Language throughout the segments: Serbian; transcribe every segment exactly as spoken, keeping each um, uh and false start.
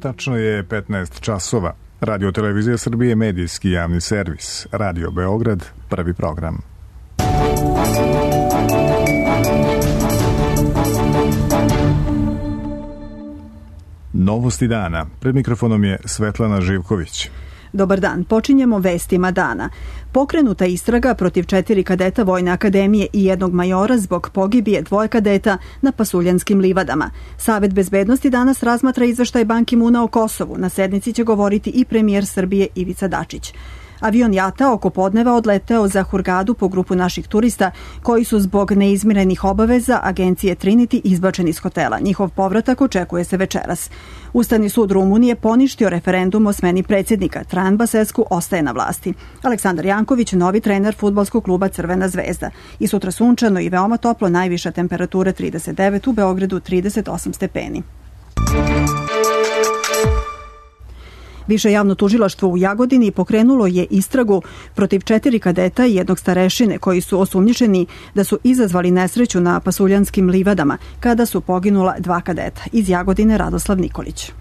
Tačno je petnaest časova. Radio Televizija Srbije, medijski javni servis. Radio Beograd, prvi program. Novosti dana. Pred mikrofonom je Svetlana Živković. Dobar dan, počinjemo vestima dana. Pokrenuta istraga protiv četiri kadeta Vojne akademije i jednog majora zbog pogibije dvoje kadeta na Pasuljanskim livadama. Savet bezbednosti danas razmatra izveštaj Ban Ki-muna o Kosovu. Na sednici će govoriti i premijer Srbije Ivica Dačić. Avion JAT-a oko podneva odleteo za Hurgadu po grupu naših turista koji su zbog neizmirenih obaveza agencije Trinity izbačeni iz hotela. Njihov povratak očekuje se večeras. Ustavni sud Rumunije poništio referendum o smeni predsjednika. Trajan Basescu ostaje na vlasti. Aleksandar Janković, novi trener fudbalskog kluba Crvena zvezda. I sutra sunčano i veoma toplo, najviša temperatura trideset devet, u Beogradu trideset osam stepeni. Više javno tužilaštvo u Jagodini pokrenulo je istragu protiv četiri kadeta i jednog starešine koji su osumnjičeni da su izazvali nesreću na Pasuljanskim livadama kada su poginula dva kadeta. Iz Jagodine Radoslav Nikolić.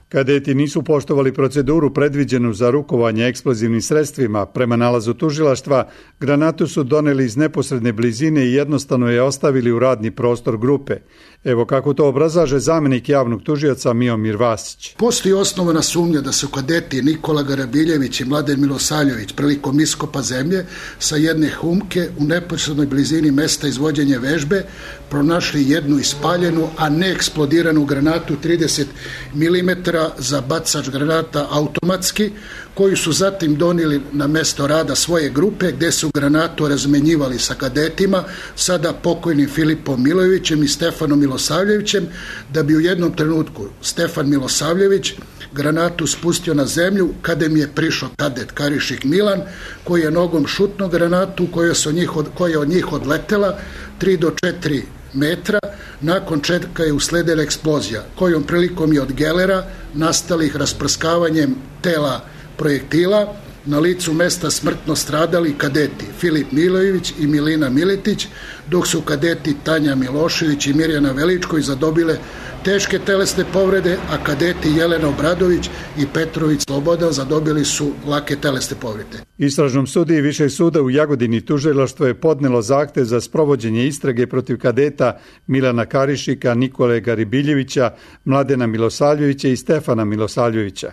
Kadeti nisu poštovali proceduru predviđenu za rukovanje eksplozivnim sredstvima. Prema nalazu tužilaštva, granatu su doneli iz neposredne blizine i jednostavno je ostavili u radni prostor grupe. Evo kako to obrazlaže zamenik javnog tužioca Miomir Vasić. Postoji osnovana sumnja da su kadeti Nikola Garabiljević i Mladen Milosavljević prilikom iskopa zemlje sa jedne humke u neposrednoj blizini mesta izvođenja vežbe pronašli jednu ispaljenu, a ne eksplodiranu granatu trideset milimetara za bacač granata automatski, koju su zatim donijeli na mesto rada svoje grupe gde su granatu razmenjivali sa kadetima, sada pokojnim Filipom Milojevićem i Stefanom Milosavljevićem, da bi u jednom trenutku Stefan Milosavljević granatu spustio na zemlju kada mi je prišao kadet Karišik Milan, koji je nogom šutno granatu koja, su njih od, koja je od njih odletela tri do četiri metra, nakon čega je usledila eksplozija, kojom prilikom je od gelera nastalih rasprskavanjem tela projektila na licu mesta smrtno stradali kadeti Filip Milojević i Milina Miletić, dok su kadeti Tanja Milošević i Mirjana Veličković zadobile teške telesne povrede, a kadeti Jelena Obradović i Petrović Slobodan zadobili su lake telesne povrede. Istražnom sudiji Višeg suda u Jagodini tužilaštvo je podnelo zahtev za sprovođenje istrage protiv kadeta Milana Karišika, Nikole Garibiljevića, Mladena Milosavljevića i Stefana Milosavljevića.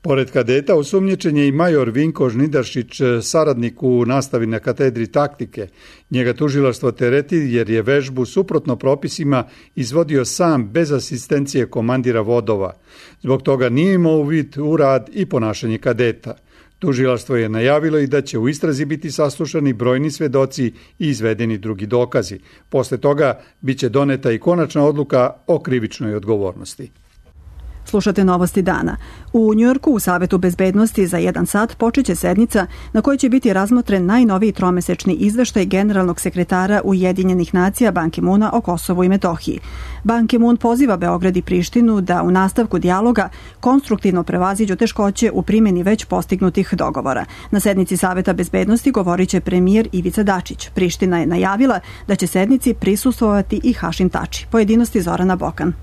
Pored kadeta osumnjičen je i major Vinko Žnidaršić, saradnik u nastavi na katedri taktike. Njega tužilaštvo tereti jer je vežbu suprotno propisima izvodio sam bez asistencije komandira vodova. Zbog toga nije imao uvid u rad i ponašanje kadeta. Tužilaštvo je najavilo i da će u istrazi biti saslušani brojni svedoci i izvedeni drugi dokazi. Posle toga biće doneta i konačna odluka o krivičnoj odgovornosti. Slušate novosti dana. U Njujorku u Savetu bezbednosti za jedan sat počeće sednica na kojoj će biti razmotren najnoviji tromesečni izveštaj generalnog sekretara Ujedinjenih nacija Ban Ki-muna o Kosovu i Metohiji. Ban Ki-mun poziva Beograd i Prištinu da u nastavku dijaloga konstruktivno prevaziđu teškoće u primjeni već postignutih dogovora. Na sednici Saveta bezbednosti govorit će premijer Ivica Dačić. Priština je najavila da će sednici prisustvovati i Hašim Tači. Pojedinosti Zorana Bokan.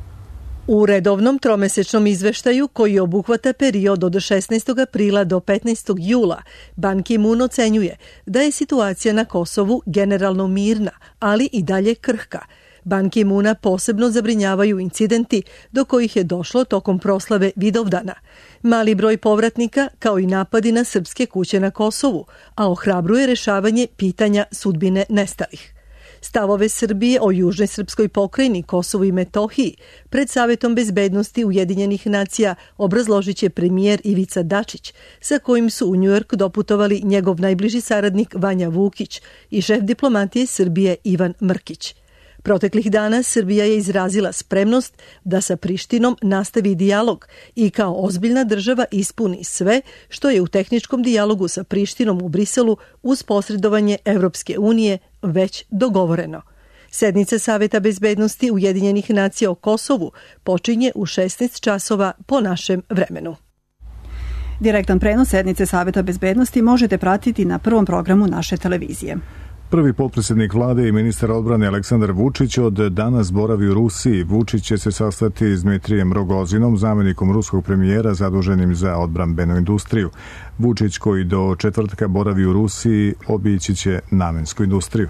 U redovnom tromesečnom izveštaju koji obuhvata period od šesnaestog aprila do petnaestog jula, Ban Ki-mun ocenjuje da je situacija na Kosovu generalno mirna, ali i dalje krhka. Ban Ki-muna posebno zabrinjavaju incidenti do kojih je došlo tokom proslave Vidovdana. Mali broj povratnika kao i napadi na srpske kuće na Kosovu, a ohrabruje rešavanje pitanja sudbine nestalih. Stavove Srbije o južnoj srpskoj pokrajini Kosovu i Metohiji pred Savetom bezbednosti Ujedinjenih nacija obrazložit će premijer Ivica Dačić, sa kojim su u Njujork doputovali njegov najbliži saradnik Vanja Vukić i šef diplomatije Srbije Ivan Mrkić. Proteklih dana Srbija je izrazila spremnost da sa Prištinom nastavi dijalog i kao ozbiljna država ispuni sve što je u tehničkom dijalogu sa Prištinom u Briselu uz posredovanje Evropske unije već dogovoreno. Sednica Saveta bezbednosti Ujedinjenih nacija o Kosovu počinje u šesnaest časova po našem vremenu. Direktan prenos sednice Saveta bezbednosti možete pratiti na prvom programu naše televizije. Prvi potpredsjednik vlade i ministar odbrane Aleksandar Vučić od danas boravi u Rusiji. Vučić će se sastati s Dmitrijem Rogozinom, zamjenikom ruskog premijera zaduženim za odbrambenu industriju. Vučić, koji do četvrtka boravi u Rusiji, obići će namensku industriju.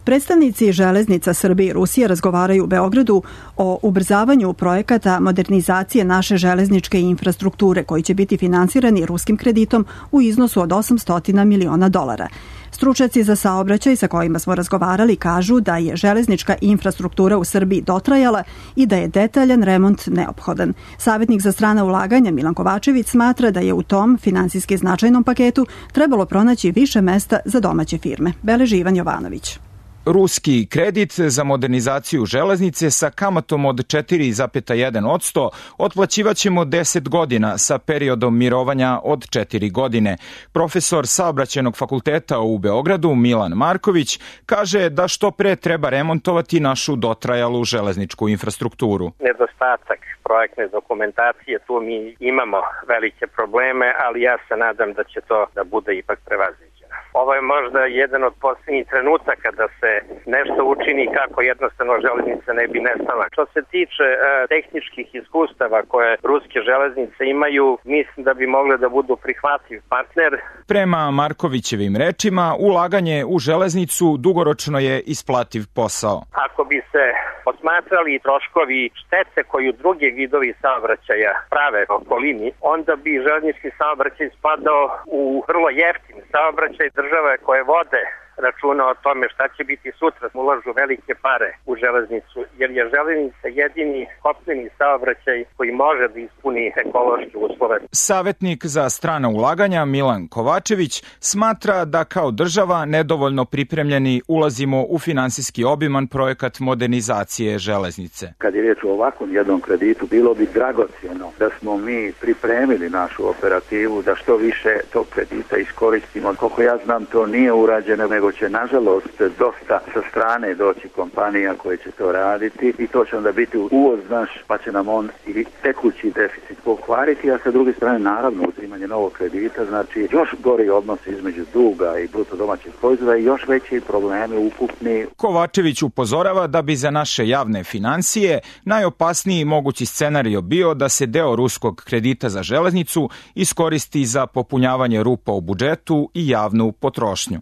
Predstavnici železnica Srbije i Rusije razgovaraju u Beogradu o ubrzavanju projekata modernizacije naše železničke infrastrukture koji će biti finansirani ruskim kreditom u iznosu od osamsto miliona dolara. Stručnjaci za saobraćaj sa kojima smo razgovarali kažu da je železnička infrastruktura u Srbiji dotrajala i da je detaljan remont neophodan. Savjetnik za strana ulaganja Milan Kovačević smatra da je u tom finansijski značajnom paketu trebalo pronaći više mesta za domaće firme. Beleži Ivan Jovanović. Ruski kredit za modernizaciju železnice sa kamatom od četiri zarez jedan posto otplaćivaćemo deset godina sa periodom mirovanja od četiri godine. Profesor Saobraćajnog fakulteta u Beogradu Milan Marković kaže da što pre treba remontovati našu dotrajalu železničku infrastrukturu. Nedostatak projektne dokumentacije, tu mi imamo velike probleme, ali ja se nadam da će to da bude ipak prevaziđeno. Ovo je možda jedan od posljednjih trenutaka da se nešto učini kako jednostavno železnice ne bi nestala. Što se tiče e, tehničkih iskustava koje ruske železnice imaju, mislim da bi mogle da budu prihvatljiv partner. Prema Markovićevim rečima, ulaganje u železnicu dugoročno je isplativ posao. Ako bi se posmatrali troškovi štete koju drugi vidovi saobraćaja prave okolini, onda bi železnički saobraćaj spadao u vrlo jeftin saobraćaj. Države koje vode računa o tome šta će biti sutra, ulažu velike pare u železnicu, jer je železnica jedini kopneni saobraćaj koji može da ispuni ekološke uslove. Savjetnik za strana ulaganja Milan Kovačević smatra da kao država nedovoljno pripremljeni ulazimo u finansijski obiman projekat modernizacije železnice. Kad je riječ o ovakvom jednom kreditu, bilo bi dragocjeno da smo mi pripremili našu operativu da što više tog kredita iskoristimo. Koliko ja znam, to nije urađeno, nego će nažalost dosta sa strane doći kompanija koje će to raditi i to će onda biti uvoz naš, pa će nam on i tekući deficit pokvariti, a sa druge strane naravno uzimanje novog kredita, znači još gori odnos između duga i bruto domaćeg proizvoda i još veći problemi ukupni. Kovačević upozorava da bi za naše javne financije najopasniji mogući scenario bio da se deo ruskog kredita za železnicu iskoristi za popunjavanje rupa u budžetu i javnu potrošnju.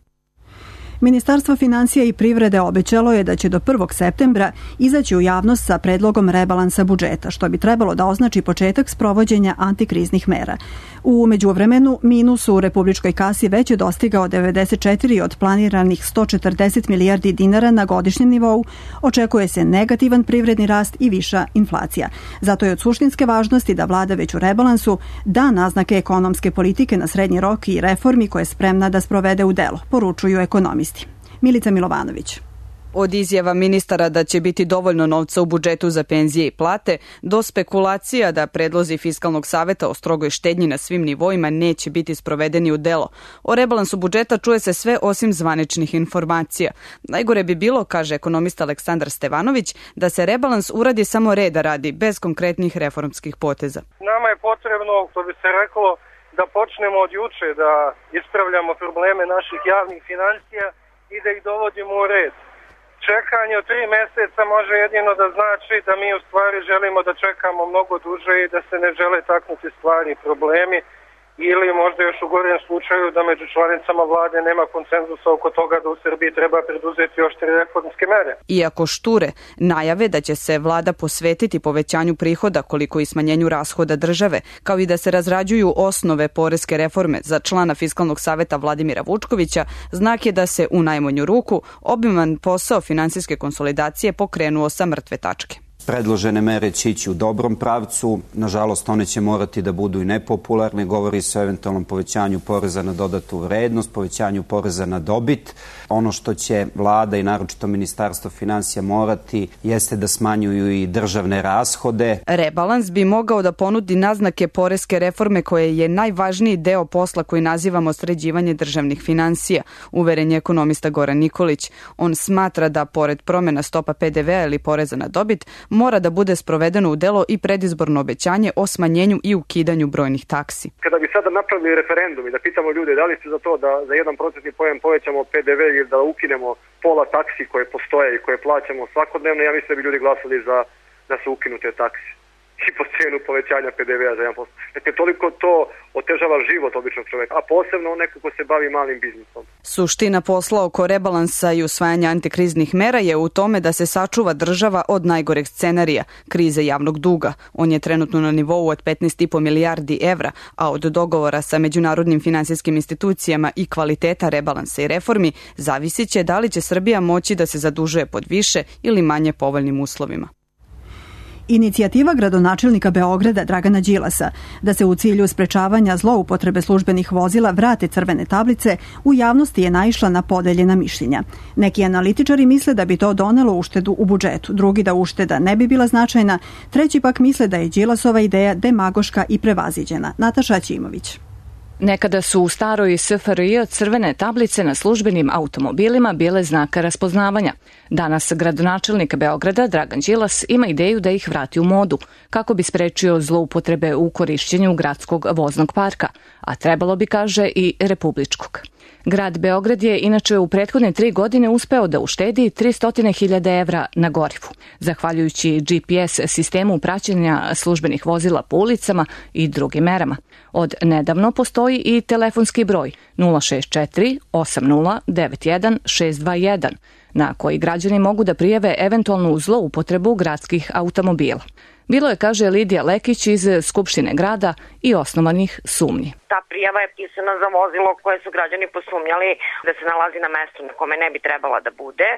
Ministarstvo financija i privrede obećalo je da će do prvog septembra izaći u javnost sa predlogom rebalansa budžeta, što bi trebalo da označi početak sprovođenja antikriznih mera. U međuvremenu, minus u republičkoj kasi već je dostigao devedeset četiri od planiranih sto četrdeset milijardi dinara na godišnjem nivou, očekuje se negativan privredni rast i viša inflacija. Zato je od suštinske važnosti da vlada već u rebalansu da naznake ekonomske politike na srednji rok i reformi koje je spremna da sprovede u delo, poručuju ekonomisti. Milica Milovanović. Od izjava ministara da će biti dovoljno novca u budžetu za penzije i plate, do spekulacija da predlozi Fiskalnog saveta o strogoj štednji na svim nivoima neće biti sprovedeni u delo. O rebalansu budžeta čuje se sve osim zvaničnih informacija. Najgore bi bilo, kaže ekonomista Aleksandar Stevanović, da se rebalans uradi samo reda radi, bez konkretnih reformskih poteza. Nama je potrebno, to bi se reklo, da počnemo od juče da ispravljamo probleme naših javnih financija i da ih dovodimo u red. Čekanje od tri meseca može jedino da znači da mi u stvari želimo da čekamo mnogo duže i da se ne žele taknuti stvari i problemi, ili možda još u gorem slučaju da među članicama vlade nema konsenzusa oko toga da u Srbiji treba preduzeti oštre reformske mere. Iako šture najave da će se vlada posvetiti povećanju prihoda koliko i smanjenju rashoda države, kao i da se razrađuju osnove poreske reforme za člana Fiskalnog saveta Vladimira Vučkovića, znak je da se u najmanju ruku obiman posao finansijske konsolidacije pokrenuo sa mrtve tačke. Predložene mere će ići u dobrom pravcu, nažalost one će morati da budu i nepopularne, govori se o eventualnom povećanju poreza na dodatu vrednost, povećanju poreza na dobit. Ono što će vlada i naročito Ministarstvo finansija morati jeste da smanjuju i državne rashode. Rebalans bi mogao da ponudi naznake poreske reforme koje je najvažniji deo posla koji nazivamo sređivanje državnih finansija, uveren je ekonomista Goran Nikolić. On smatra da pored promjena stopa pe de vea ili poreza na dobit, mora da bude sprovedeno u delo i predizborno obećanje o smanjenju i ukidanju brojnih taksi. Kada bi sada napravili referendum i da pitamo ljude da li ste za to da za jedan procentni poen povećamo P D V ili da ukinemo pola taksi koje postoje i koje plaćamo svakodnevno, ja mislim da bi ljudi glasali za da se ukinu te taksi i po cenu povećanja P D V-a za jedan posto. Dakle, toliko to otežava život običnog čoveka, a posebno neko ko se bavi malim biznisom. Suština posla oko rebalansa i usvajanja antikriznih mera je u tome da se sačuva država od najgoreg scenarija, krize javnog duga. On je trenutno na nivou od petnaest i po milijardi evra, a od dogovora sa međunarodnim finansijskim institucijama i kvaliteta rebalansa i reformi zavisit će da li će Srbija moći da se zadužuje pod više ili manje povoljnim uslovima. Inicijativa gradonačelnika Beograda Dragana Đilasa da se u cilju sprečavanja zloupotrebe službenih vozila vrate crvene tablice u javnosti je naišla na podeljena mišljenja. Neki analitičari misle da bi to donelo uštedu u budžetu, drugi da ušteda ne bi bila značajna, treći pak misle da je Đilasova ideja demagoška i prevaziđena. Nataša Ćimović. Nekada su u staroj S F R J crvene tablice na službenim automobilima bile znaka raspoznavanja. Danas gradonačelnik Beograda Dragan Đilas ima ideju da ih vrati u modu, kako bi sprečio zloupotrebe u korišćenju gradskog voznog parka, a trebalo bi, kaže, i republičkog. Grad Beograd je inače u prethodne tri godine uspeo da uštedi tristo hiljada evra na gorivu, zahvaljujući G P S sistemu praćenja službenih vozila po ulicama i drugim merama. Od nedavno postoji i telefonski broj nula šest četiri osam nula devet jedan šest dva jedan, na koji građani mogu da prijave eventualnu zloupotrebu gradskih automobila. Bilo je, kaže Lidija Lekić iz Skupštine grada, i osnovanih sumnji. Ta prijava je pisana za vozilo koje su građani posumnjali da se nalazi na mestu na kome ne bi trebala da bude.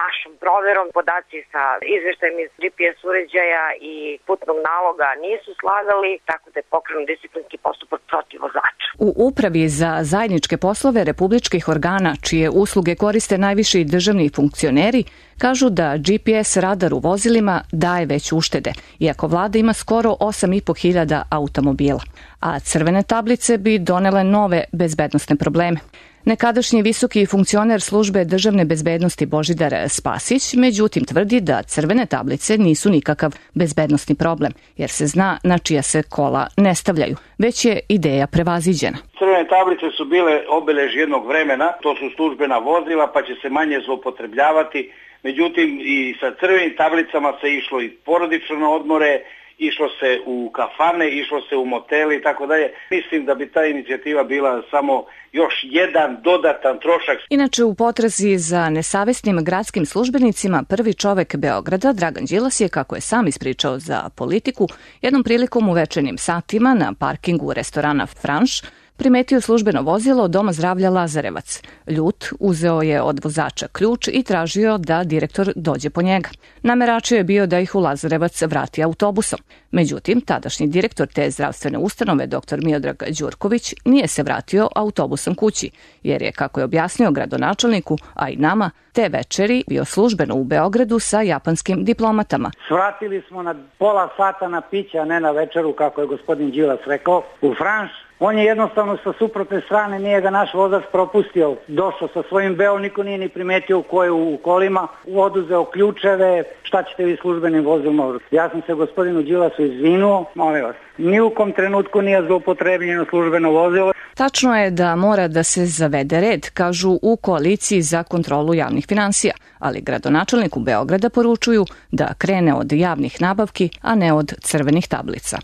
Našom proverom podaci sa izveštajem iz G P S uređaja i putnog naloga nisu slagali, tako da je pokrenut disciplinski postupak protiv vozača. U Upravi za zajedničke poslove republičkih organa, čije usluge koriste najviši državni funkcioneri, kažu da G P S radar u vozilima daje već uštede, iako vlada ima skoro osam i po hiljada automobila, a crvene tablice bi donele nove bezbednosne probleme. Nekadašnji visoki funkcioner službe državne bezbednosti Božidar Spasić, međutim, tvrdi da crvene tablice nisu nikakav bezbednosni problem, jer se zna na čija se kola ne stavljaju, već je ideja prevaziđena. Crvene tablice su bile obelež jednog vremena, to su službena vozila, pa će se manje zloupotrebljavati. Međutim, i sa crvenim tablicama se išlo i porodično na odmore, išlo se u kafane, išlo se u motele i tako dalje. Mislim da bi ta inicijativa bila samo još jedan dodatan trošak. Inače, u potrazi za nesavesnim gradskim službenicima, prvi čovek Beograda, Dragan Đilas, je, kako je sam ispričao za Politiku, jednom prilikom u večernjim satima na parkingu restorana Franš primetio službeno vozilo Doma zdravlja Lazarevac. Ljut, uzeo je od vozača ključ i tražio da direktor dođe po njega. Nameračio je bio da ih u Lazarevac vrati autobusom. Međutim, tadašnji direktor te zdravstvene ustanove, dr Miodrag Đurković, nije se vratio autobusom kući, jer je, kako je objasnio gradonačelniku, a i nama, te večeri bio službeno u Beogradu sa japanskim diplomatama. Svratili smo na pola sata na piće, a ne na večeru, kako je gospodin Đilas rekao, u Franš. On je jednostavno sa suprotne strane, nije ga naš vozač propustio. Došao sa svojim Beo, niko nije ni primetio u koje u kolima, oduzeo ključeve, šta ćete vi službenim vozilima. Ja sam se gospodinu Đilasu izvinuo, molim vas, ni u kom trenutku nije zloupotrebljeno službeno vozilo. Tačno je da mora da se zavede red, kažu u koaliciji za kontrolu javnih finansija, ali gradonačelniku Beograda poručuju da krene od javnih nabavki, a ne od crvenih tablica.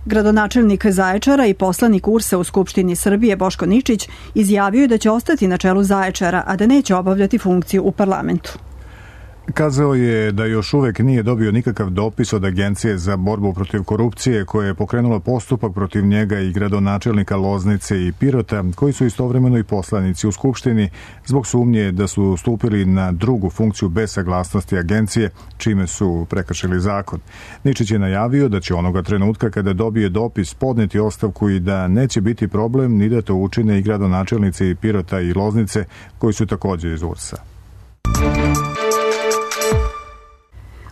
Gradonačelnik Zaječara i poslanik U R S A u Skupštini Srbije Boško Ničić izjavio je da će ostati na čelu Zaječara, a da neće obavljati funkciju u parlamentu. Kazao je da još uvek nije dobio nikakav dopis od Agencije za borbu protiv korupcije koja je pokrenula postupak protiv njega i gradonačelnika Loznice i Pirota, koji su istovremeno i poslanici u Skupštini, zbog sumnje da su stupili na drugu funkciju bez saglasnosti agencije, čime su prekršili zakon. Ničić je najavio da će onoga trenutka kada dobije dopis podneti ostavku i da neće biti problem ni da to učine i gradonačelnici Pirota i Loznice, koji su također iz U R S A.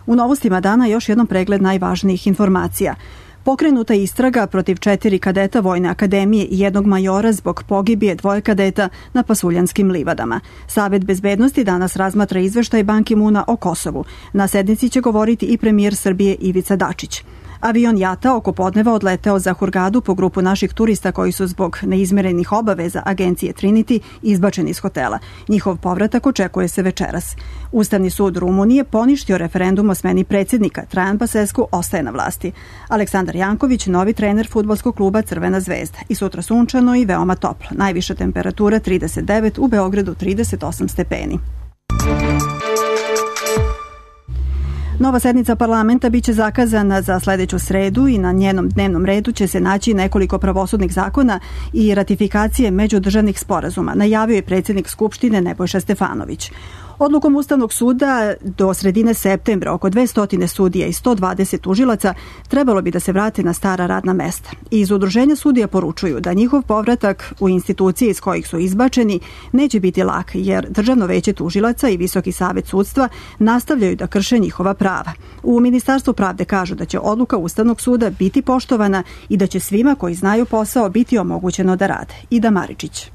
U novostima dana još jednom pregled najvažnijih informacija. Pokrenuta istraga protiv četiri kadeta Vojne akademije i jednog majora zbog pogibije dvoje kadeta na Pasuljanskim livadama. Savet bezbednosti danas razmatra izveštaj Ban Ki-muna o Kosovu. Na sednici će govoriti i premijer Srbije Ivica Dačić. Avion JATA oko podneva odleteo za Hurgadu po grupu naših turista koji su zbog neizmerenih obaveza agencije Trinity izbačeni iz hotela. Njihov povratak očekuje se večeras. Ustavni sud Rumunije poništio referendum o smeni predsjednika. Trajan Basescu ostaje na vlasti. Aleksandar Janković, novi trener fudbalskog kluba Crvena zvezda. I sutra sunčano i veoma toplo. Najviša temperatura trideset devet, u Beogradu trideset osam stepeni. Nova sednica parlamenta biće zakazana za sledeću sredu i na njenom dnevnom redu će se naći nekoliko pravosudnih zakona i ratifikacije međudržavnih sporazuma, najavio je predsjednik Skupštine Nebojša Stefanović. Odlukom Ustavnog suda do sredine septembra oko dvesta sudija i sto dvadeset tužilaca trebalo bi da se vrate na stara radna mesta. Iz udruženja sudija poručuju da njihov povratak u institucije iz kojih su izbačeni neće biti lak, jer Državno veće tužilaca i Visoki savet sudstva nastavljaju da krše njihova prava. U Ministarstvu pravde kažu da će odluka Ustavnog suda biti poštovana i da će svima koji znaju posao biti omogućeno da rade. Ida Maričić.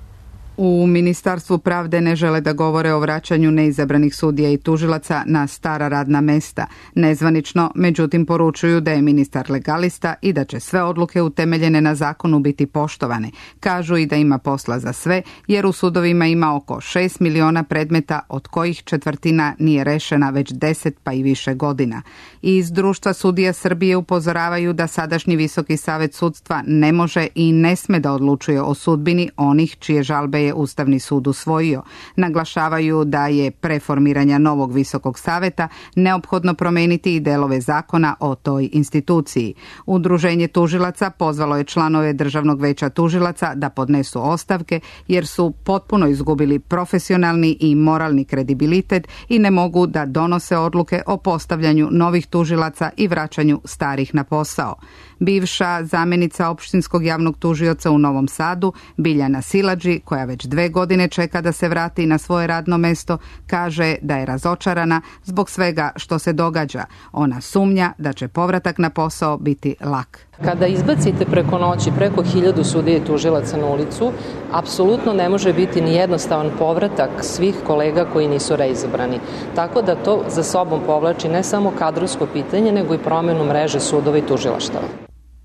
U Ministarstvu pravde ne žele da govore o vraćanju neizabranih sudija i tužilaca na stara radna mesta. Nezvanično, međutim, poručuju da je ministar legalista i da će sve odluke utemeljene na zakonu biti poštovane. Kažu i da ima posla za sve, jer u sudovima ima oko šest miliona predmeta, od kojih četvrtina nije rešena već deset pa i više godina. Iz Društva sudija Srbije upozoravaju da sadašnji Visoki savet sudstva ne može i ne sme da odlučuje o sudbini onih čije žalbe je Ustavni sud usvojio. Naglašavaju da je pre formiranja novog Visokog saveta neophodno promeniti i delove zakona o toj instituciji. Udruženje tužilaca pozvalo je članove Državnog veća tužilaca da podnesu ostavke jer su potpuno izgubili profesionalni i moralni kredibilitet i ne mogu da donose odluke o postavljanju novih tužilaca i vraćanju starih na posao. Bivša zamenica opštinskog javnog tužioca u Novom Sadu, Biljana Siladži, koja već dve godine čeka da se vrati na svoje radno mesto, kaže da je razočarana zbog svega što se događa. Ona sumnja da će povratak na posao biti lak. Kada izbacite preko noći preko hiljadu sudija i tužilaca na ulicu, apsolutno ne može biti ni jednostavan povratak svih kolega koji nisu reizabrani. Tako da to za sobom povlači ne samo kadrovsko pitanje, nego i promenu mreže sudova i tužilaštava.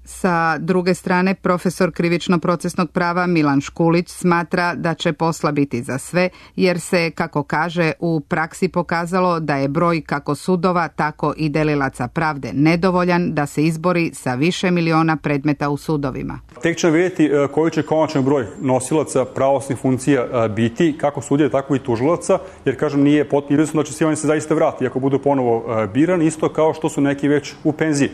Sa druge strane, profesor krivično-procesnog prava Milan Škulić smatra da će posla biti za sve, jer se, kako kaže, u praksi pokazalo da je broj kako sudova, tako i delilaca pravde nedovoljan da se izbori sa više miliona predmeta u sudovima. Tek ćemo vidjeti koji će konačan broj nosilaca pravosudnih funkcija biti, kako sudija, tako i tužilaca, jer, kažem, nije potpuno da će svi oni se zaista vrati ako budu ponovo birani, isto kao što su neki već u penziji.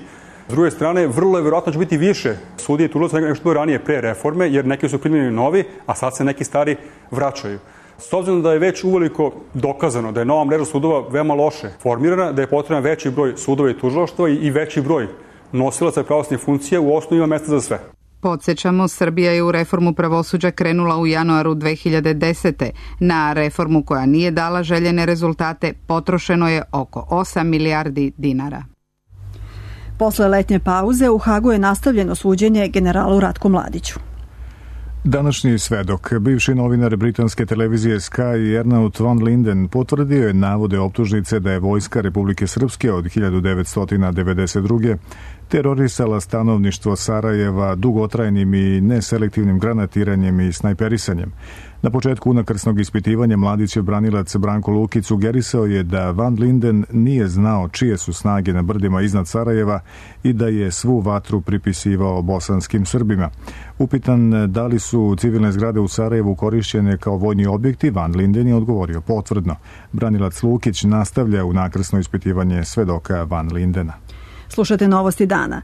S druge strane, vrlo je vjerojatno će biti više sudije i tužilaca nego što je ranije pre reforme, jer neki su primljeni novi, a sad se neki stari vraćaju. S obzirom da je već uveliko dokazano da je nova mreža sudova veoma loše formirana, da je potreban veći broj sudova i tužilaštva i veći broj nosilaca pravosudnih funkcija, u osnovi ima mesta za sve. Podsjećamo, Srbija je u reformu pravosuđa krenula u januaru dve hiljade desete. Na reformu koja nije dala željene rezultate potrošeno je oko osam milijardi dinara. Posle letnje pauze u Hagu je nastavljeno suđenje generalu Ratku Mladiću. Današnji svedok, bivši novinar britanske televizije Sky Ernaut van Linden, potvrdio je navode optužnice da je vojska Republike Srpske od hiljadu devetsto devedeset druge terorisala stanovništvo Sarajeva dugotrajnim i neselektivnim granatiranjem i snajperisanjem. Na početku unakrsnog ispitivanja Mladićev branilac Branko Lukić sugerisao je da Van Linden nije znao čije su snage na brdima iznad Sarajeva i da je svu vatru pripisivao bosanskim Srbima. Upitan da li su civilne zgrade u Sarajevu korišćene kao vojni objekti, Van Linden je odgovorio potvrdno. Branilac Lukić nastavlja unakrsno ispitivanje svedoka Van Lindena. Slušate novosti dana.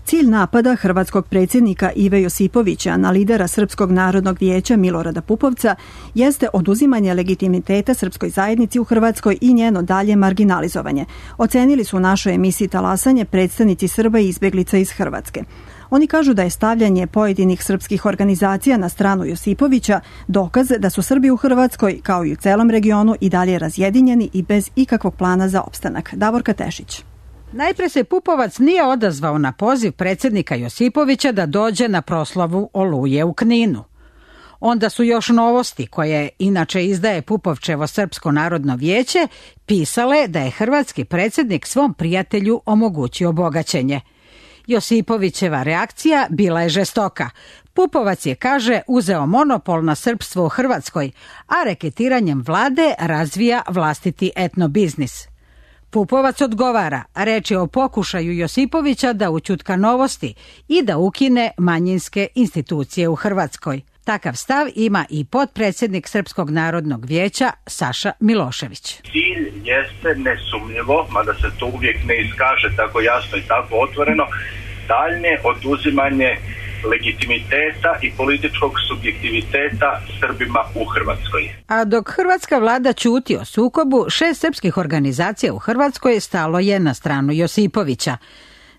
Cilj napada hrvatskog predsjednika Ive Josipovića na lidera Srpskog narodnog vijeća Milorada Pupovca jeste oduzimanje legitimiteta srpskoj zajednici u Hrvatskoj i njeno dalje marginalizovanje. Ocenili su u našoj emisiji Talasanje predstavnici Srba i izbeglica iz Hrvatske. Oni kažu da je stavljanje pojedinih srpskih organizacija na stranu Josipovića dokaz da su Srbi u Hrvatskoj, kao i u celom regionu, i dalje razjedinjeni i bez ikakvog plana za opstanak. Davorka Tešić. Najpre se Pupovac nije odazvao na poziv predsjednika Josipovića da dođe na proslavu Oluje u Kninu. Onda su još Novosti, koje inače izdaje Pupovčevo Srpsko narodno vijeće, pisale da je hrvatski predsjednik svom prijatelju omogućio bogaćenje. Josipovićeva reakcija bila je žestoka. Pupovac je, kaže, uzeo monopol na srpstvo u Hrvatskoj, a reketiranjem vlade razvija vlastiti etnobiznis. Pupovac odgovara, reč je o pokušaju Josipovića da ućutka Novosti i da ukine manjinske institucije u Hrvatskoj. Takav stav ima i potpredsjednik Srpskog narodnog vijeća Saša Milošević. Cilj jeste nesumnjivo, mada se to uvijek ne iskaže tako jasno i tako otvoreno, daljnje oduzimanje legitimiteta i političkog subjektiviteta Srbima u Hrvatskoj. A dok hrvatska vlada ćuti o sukobu, šest srpskih organizacija u Hrvatskoj stalo je na stranu Josipovića.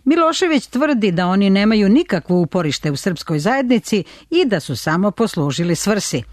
Milošević tvrdi da oni nemaju nikakvo uporište u srpskoj zajednici i da su samo poslužili svrsi.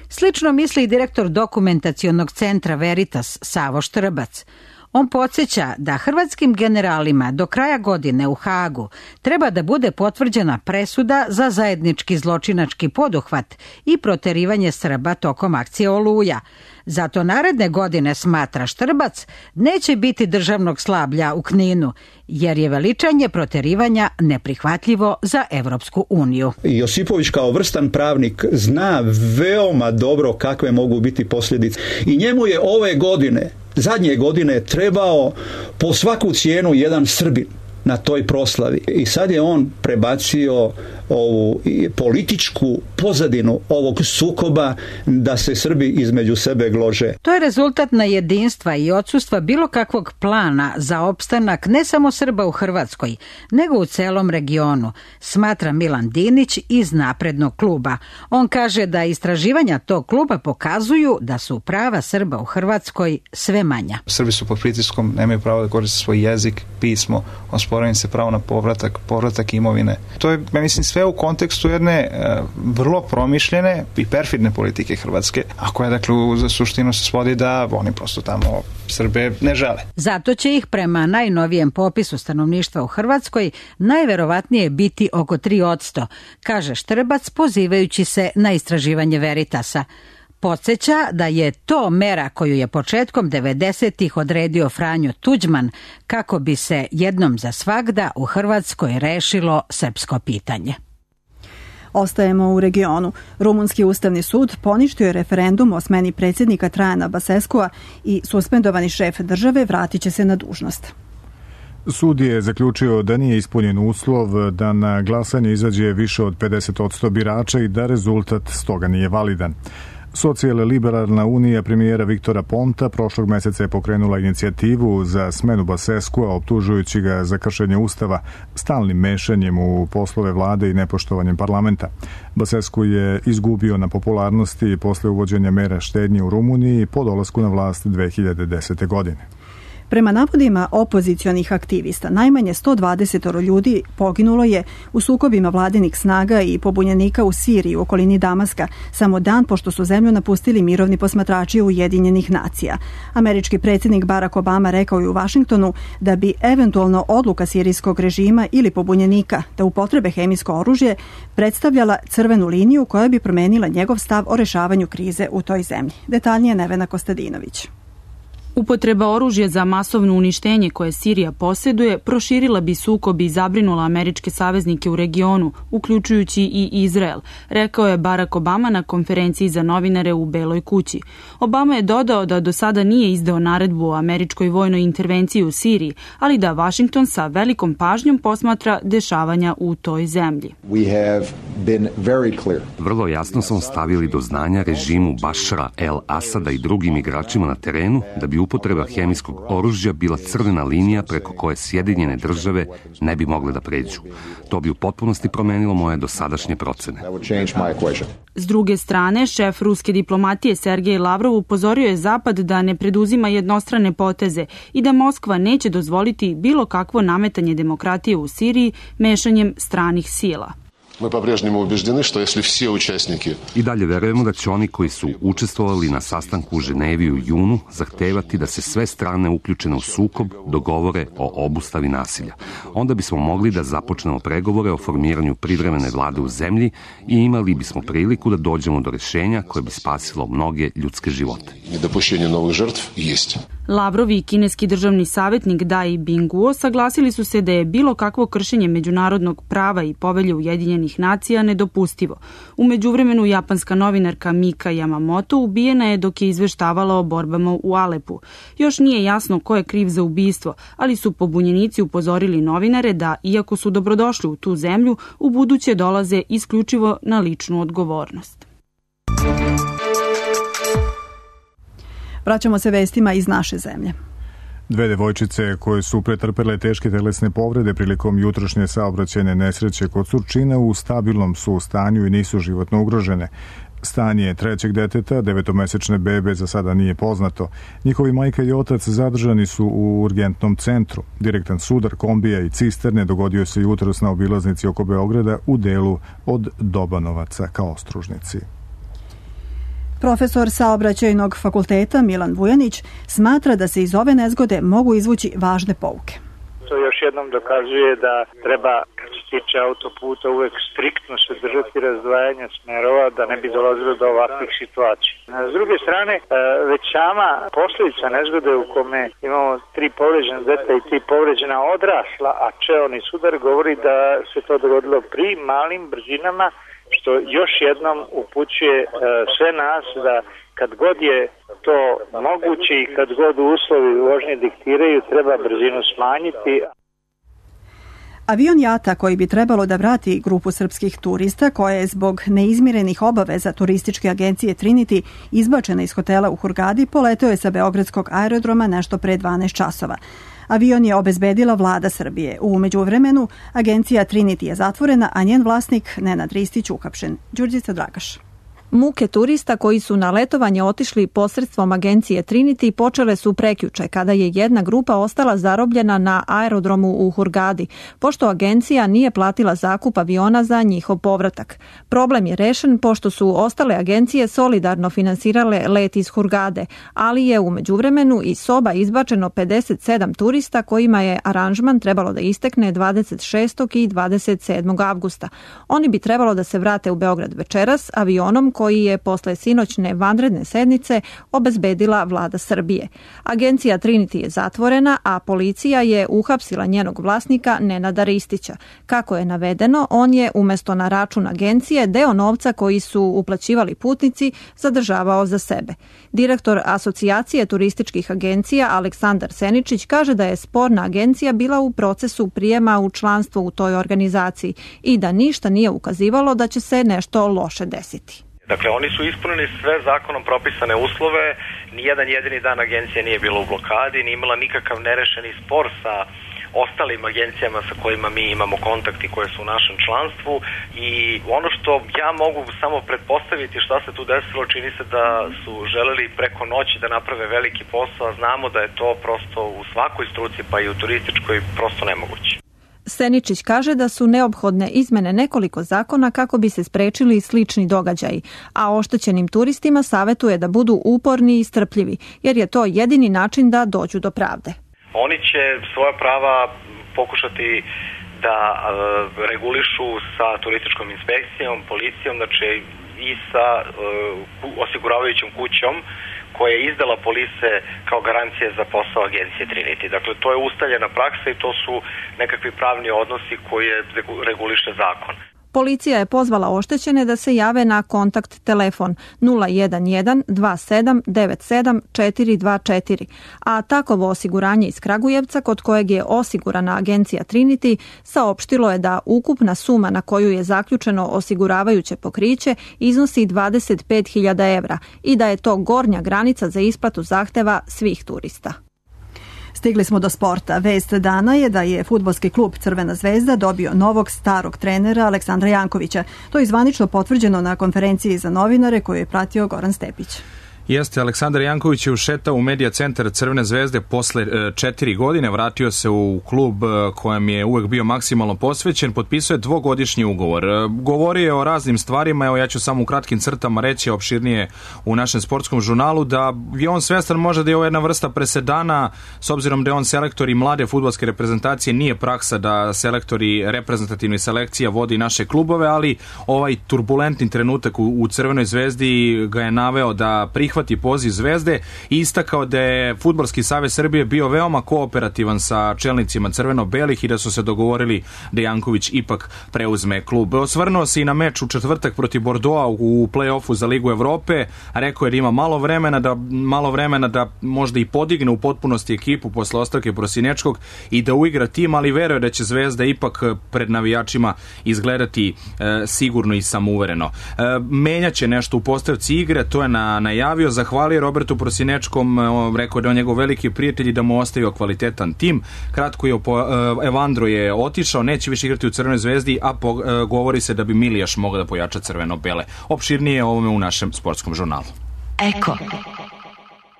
Slično misli i direktor dokumentacionog centra Veritas Savo Štrbac. On podsjeća da hrvatskim generalima do kraja godine u Hagu treba da bude potvrđena presuda za zajednički zločinački poduhvat i proterivanje Srba tokom akcije Oluja. Zato naredne godine, smatra Štrbac, neće biti državnog slablja u Kninu, jer je veličanje proterivanja neprihvatljivo za Evropsku uniju. Josipović kao vrstan pravnik zna veoma dobro kakve mogu biti posljedice. I njemu je ove godine, zadnje godine, trebao po svaku cijenu jedan Srbin na toj proslavi. I sad je on prebacio ovu političku pozadinu ovog sukoba da se Srbi između sebe glože. To je rezultat nejedinstva i odsustva bilo kakvog plana za opstanak ne samo Srba u Hrvatskoj, nego u celom regionu, smatra Milan Dinić iz Naprednog kluba. On kaže da istraživanja tog kluba pokazuju da su prava Srba u Hrvatskoj sve manja. Srbi su pod pritiskom, nemaju pravo da koriste svoj jezik, pismo, osporava im se pravo na povratak, povratak imovine. To je, ja mislim, sve u kontekstu jedne e, vrlo promišljene i perfidne politike Hrvatske, a koja, dakle, za suštinu se svodi da oni prosto tamo Srbe ne žele. Zato će ih prema najnovijem popisu stanovništva u Hrvatskoj najverovatnije biti oko tri posto, kaže Štrbac pozivajući se na istraživanje Veritasa. Podsjeća da je to mera koju je početkom devedesetih odredio Franjo Tuđman kako bi se jednom za svagda u Hrvatskoj rešilo srpsko pitanje. Ostajemo u regionu. Rumunski ustavni sud poništio je referendum o smeni predsjednika Trajana Baseskua i suspendovani šef države vratit će se na dužnost. Sud je zaključio da nije ispunjen uslov da na glasanje izađe više od pedeset posto birača i da rezultat stoga nije validan. Socijal-liberalna unija premijera Viktora Ponta prošlog meseca je pokrenula inicijativu za smenu Baseskua, optužujući ga za kršenje ustava, stalnim mešanjem u poslove vlade i nepoštovanjem parlamenta. Basescu je izgubio na popularnosti posle uvođenja mera štednje u Rumuniji po dolasku na vlast dve hiljade desete. godine. Prema navodima opozicionih aktivista, najmanje sto dvadeset ljudi poginulo je u sukobima vladinih snaga i pobunjenika u Siriji u okolini Damaska, samo dan pošto su zemlju napustili mirovni posmatrači Ujedinjenih nacija. Američki predsjednik Barack Obama rekao je u Vašingtonu da bi eventualno odluka sirijskog režima ili pobunjenika da upotrebe hemijsko oružje predstavljala crvenu liniju koja bi promenila njegov stav o rešavanju krize u toj zemlji. Detaljnije Nevena Kostadinović. Upotreba oružja za masovno uništenje koje Sirija posjeduje proširila bi sukob i zabrinula američke saveznike u regionu, uključujući i Izrael, rekao je Barack Obama na konferenciji za novinare u Beloj kući. Obama je dodao da do sada nije izdao naredbu o američkoj vojnoj intervenciji u Siriji, ali da Washington sa velikom pažnjom posmatra dešavanja u toj zemlji. Vrlo jasno smo stavili do znanja režimu Bašara el-Asada i drugim igračima na terenu da bi upotreba hemijskog oružja bila crvena linija preko koje Sjedinjene države ne bi mogle da pređu. To bi u potpunosti promenilo moje dosadašnje procene. S druge strane, šef ruske diplomatije Sergej Lavrov upozorio je Zapad da ne preduzima jednostrane poteze i da Moskva neće dozvoliti bilo kakvo nametanje demokratije u Siriji mešanjem stranih sila. Мы по-прежнему убеждены, что если все участники... I dalje verujemo da će oni koji su učestvovali na sastanku u Ženevi u junu zahtevati da se sve strane uključene u sukob dogovore o obustavi nasilja. Onda bismo mogli da započnemo pregovore o formiranju privremene vlade u zemlji i imali bismo priliku da dođemo do rešenja koje bi spasilo mnoge ljudske živote. Nedopuštenje novih žrtv jest. Lavrov i kineski državni savjetnik Dai Bingguo saglasili su se da je bilo kakvo kršenje međunarodnog prava i povelje Ujedinjenih nacija nedopustivo. U međuvremenu japanska novinarka Mika Yamamoto ubijena je dok je izveštavala o borbama u Alepu. Još nije jasno ko je kriv za ubistvo, ali su pobunjenici upozorili novinare da, iako su dobrodošli u tu zemlju, u buduće dolaze isključivo na ličnu odgovornost. Vraćamo se vestima iz naše zemlje. Dve devojčice koje su pretrpele teške telesne povrede prilikom jutrošnje saobraćajne nesreće kod Surčina u stabilnom su stanju i nisu životno ugrožene. Stanje trećeg deteta, devetomesečne bebe, za sada nije poznato. Njihovi majka i otac zadržani su u urgentnom centru. Direktan sudar kombija i cisterne dogodio se jutros na obilaznici oko Beograda u delu od Dobanovaca ka Ostružnici. Profesor saobraćajnog fakulteta Milan Vujanić smatra da se iz ove nezgode mogu izvući važne pouke. To još jednom dokazuje da treba, kad se tiče autoputa, uvek striktno se držati razdvajanja smerova da ne bi dolazilo do ovakvih situacija. S druge strane, već sama posljedica nezgode u kome imamo tri povređena deta i tri povređena odrasla, a čeoni sudar govori da se to dogodilo pri malim brzinama, što još jednom upućuje sve nas da kad god je to moguće i kad god uslovi vožnje diktiraju, treba brzinu smanjiti. Avion Jata, koji bi trebalo da vrati grupu srpskih turista koja je zbog neizmirenih obaveza turističke agencije Trinity izbačena iz hotela u Hurgadi, poleteo je sa beogradskog aerodroma nešto pre dvanaest časova. Avion je obezbedila vlada Srbije. U međuvremenu agencija Trinity je zatvorena, a njen vlasnik Nenad Ristić uhapšen. Đurđica Dragaš. Muke turista koji su na letovanje otišli posredstvom agencije Trinity počele su prekjuče kada je jedna grupa ostala zarobljena na aerodromu u Hurgadi, pošto agencija nije platila zakup aviona za njihov povratak. Problem je rešen pošto su ostale agencije solidarno finansirale let iz Hurgade, ali je u međuvremenu iz soba izbačeno pedeset sedam turista kojima je aranžman trebalo da istekne dvadeset šestog i dvadeset sedmog avgusta. Oni bi trebalo da se vrate u Beograd večeras avionom koji je posle sinoćne vanredne sednice obezbedila vlada Srbije. Agencija Trinity je zatvorena, a policija je uhapsila njenog vlasnika Nenada Ristića. Kako je navedeno, on je umesto na račun agencije deo novca koji su uplaćivali putnici zadržavao za sebe. Direktor Asocijacije turističkih agencija Aleksandar Seničić kaže da je sporna agencija bila u procesu prijema u članstvo u toj organizaciji i da ništa nije ukazivalo da će se nešto loše desiti. Dakle, oni su ispunili sve zakonom propisane uslove, nijedan jedini dan agencija nije bila u blokadi, nije imala nikakav nerešeni spor sa ostalim agencijama sa kojima mi imamo kontakt i koje su u našem članstvu i ono što ja mogu samo pretpostaviti šta se tu desilo, čini se da su želeli preko noći da naprave veliki posao, a znamo da je to prosto u svakoj struci pa i u turističkoj prosto nemoguće. Seničić kaže da su neophodne izmene nekoliko zakona kako bi se sprečili slični događaji, a oštećenim turistima savetuje da budu uporni i strpljivi, jer je to jedini način da dođu do pravde. Oni će svoja prava pokušati da e, regulišu sa turističkom inspekcijom, policijom, znači i sa e, osiguravajućom kućom koja je izdala polise kao garancije za posao agencije Trinity. Dakle, to je ustaljena praksa i to su nekakvi pravni odnosi koje reguliše zakon. Policija je pozvala oštećene da se jave na kontakt telefon nula jedan jedan dva sedam devet sedam četiri dva četiri, a takovo osiguranje iz Kragujevca, kod kojeg je osigurana agencija Trinity, saopštilo je da ukupna suma na koju je zaključeno osiguravajuće pokriće iznosi dvadeset pet hiljada evra i da je to gornja granica za isplatu zahteva svih turista. Stigli smo do sporta. Vest dana je da je fudbalski klub Crvena zvezda dobio novog starog trenera Aleksandra Jankovića. To je zvanično potvrđeno na konferenciji za novinare koju je pratio Goran Stepić. Jeste, Aleksandar Janković je ušetao u medija centar Crvene zvezde posle četiri godine, vratio se u klub kojem je uvek bio maksimalno posvećen, potpisao je dvogodišnji ugovor. Govorio je o raznim stvarima, evo ja ću samo u kratkim crtama reći opširnije u našem sportskom žurnalu, da je on svestan možda da je ovo jedna vrsta presedana, s obzirom da je on selektor i mlade fudbalske reprezentacije, nije praksa da selektori reprezentativnih selekcija vodi naše klubove, ali ovaj turbulentni trenutak u, u Crvenoj zvezdi ga je naveo da prihvati poziv Zvezde i istakao da je Fudbalski savez Srbije bio veoma kooperativan sa čelnicima crveno-belih i da su se dogovorili da Janković ipak preuzme klub. Osvrnuo se i na meč u četvrtak protiv Bordeauxa u play-offu za Ligu Evrope, rekao je da ima malo vremena da, malo vremena da možda i podigne u potpunosti ekipu posle ostavke Prosinečkog i da uigra tim, ali veruje da će Zvezda ipak pred navijačima izgledati e, sigurno i samouvereno. E, menjaće nešto u postavci igre, to je na, najavio, zahvalio Robertu Prosinečkom, rekao da je on njegov veliki prijatelj i da mu ostavio kvalitetan tim. Kratko je Evandro je otišao, neće više igrati u Crvenoj zvezdi, a po, govori se da bi Milijaš mogao da pojača crveno-bele. Opširnije o ovome u našem sportskom žurnalu. Eko.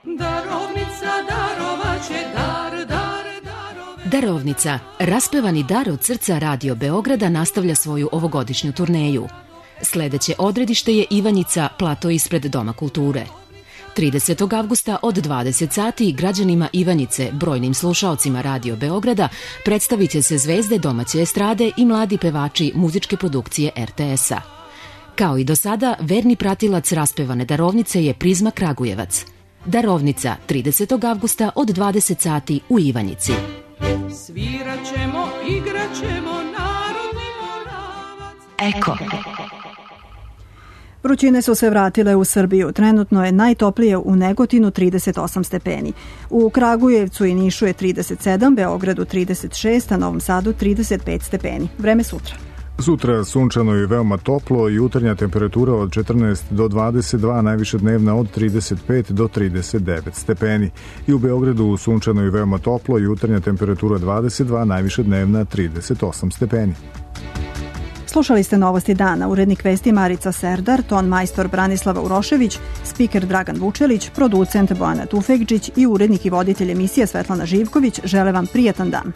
Darovnica darovaće dar, dar, darove. Darovnica, raspevani dar od srca Radio Beograda nastavlja svoju ovogodišnju turneju. Sledeće odredište je Ivanjica, plato ispred Doma kulture. tridesetog avgusta od dvadeset sati građanima Ivanjice, brojnim slušaocima Radio Beograda, predstavit će se zvezde domaće estrade i mladi pevači muzičke produkcije er te es-a. Kao i do sada, verni pratilac raspevane darovnice je Prizma Kragujevac. Darovnica, tridesetog avgusta od dvadeset sati u Ivanjici. Sviraćemo, igraćemo, narodni moravac. Eko. Vrućine su se vratile u Srbiju. Trenutno je najtoplije u Negotinu trideset osam stepeni. U Kragujevcu i Nišu je trideset sedam, Beogradu trideset šest, a Novom Sadu trideset pet stepeni. Vreme sutra. Sutra sunčano i veoma toplo, jutarnja temperatura od četrnaest do dvadeset dva, najviše dnevna od trideset pet do trideset devet stepeni. I u Beogradu sunčano i veoma toplo, jutarnja temperatura dvadeset dva, najviše dnevna trideset osam stepeni. Slušali ste Novosti dana, urednik vesti Marica Serdar, ton majstor Branislava Urošević, spiker Dragan Vučelić, producent Bojana Tufekđić i urednik i voditelj emisije Svetlana Živković žele vam prijatan dan.